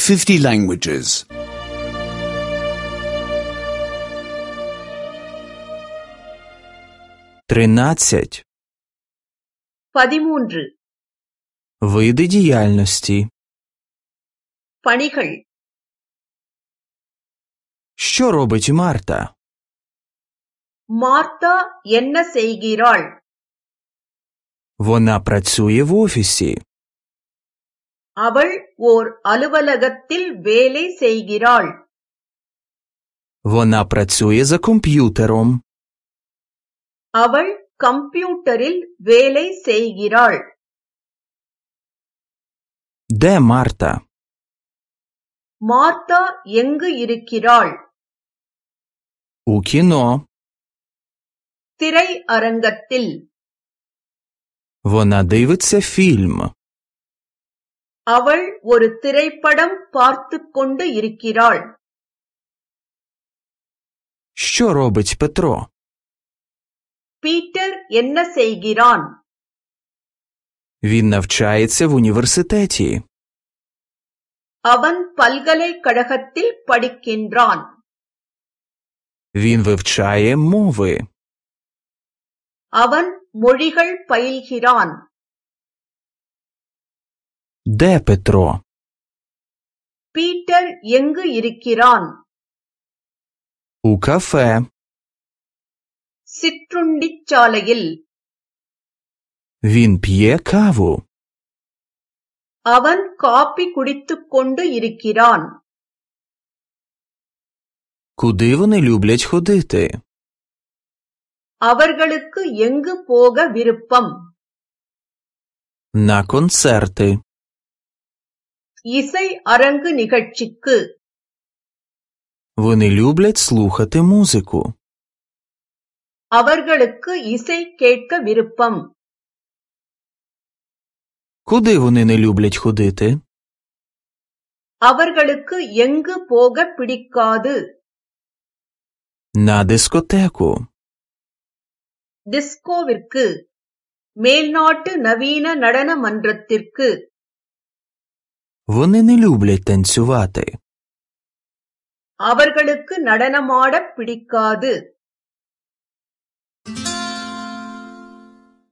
50 languages. 13. 13. Види діяльності. பணிகள். Що робить Марта? மார்த்தா என்ன செய்கிறாள்? Вона працює в офісі. அவள் ஓர் அலுவலகத்தில் வேலை செய்கிறாள். Вона працює за комп'ютером. அவள் கம்ப்யூட்டரில் வேலை செய்கிறாள். Де Марта? மார்த்தா எங்கு இருக்கிறாள்? У кіно. திரை அரங்கத்தில். Вона дивиться фільм. அவள் ஒரு திரைப்படம் பார்த்துக் கொண்டு இருக்கிறாள். Що робить Петро? பீட்டர் என்ன செய்கிறான்? Він навчається в університеті. அவன் பல்கலைக்கழகத்தில் படிக்கின்றான். Він вивчає мови. அவன் மொழிகள் பயில்கிறான். Де Петро? பீட்டர் எங்கு இருக்கிறான்? У кафе. சிற்றுண்டிச்சாலையில். Він п'є каву. அவன் காபி குடித்துக் கொண்டு இருக்கிறான். Куди вони люблять ходити? அவர்களுக்கு எங்கு போக விருப்பம்? На концерти. இசை அரங்கு நிகழ்ச்சிக்கு. Вони люблять слухати музику. அவர்களுக்கு இசை கேட்க விருப்பம். Куди вони не люблять ходити? அவர்களுக்கு எங்கு போக பிடிக்காது? На дискотеку. டிஸ்கோவிற்கு. மேல்நாட்டு நவீன நடன மன்றத்திற்கு. Вони не люблять танцювати. அவர்களுக்கு நடனமாடப் பிடிக்காது.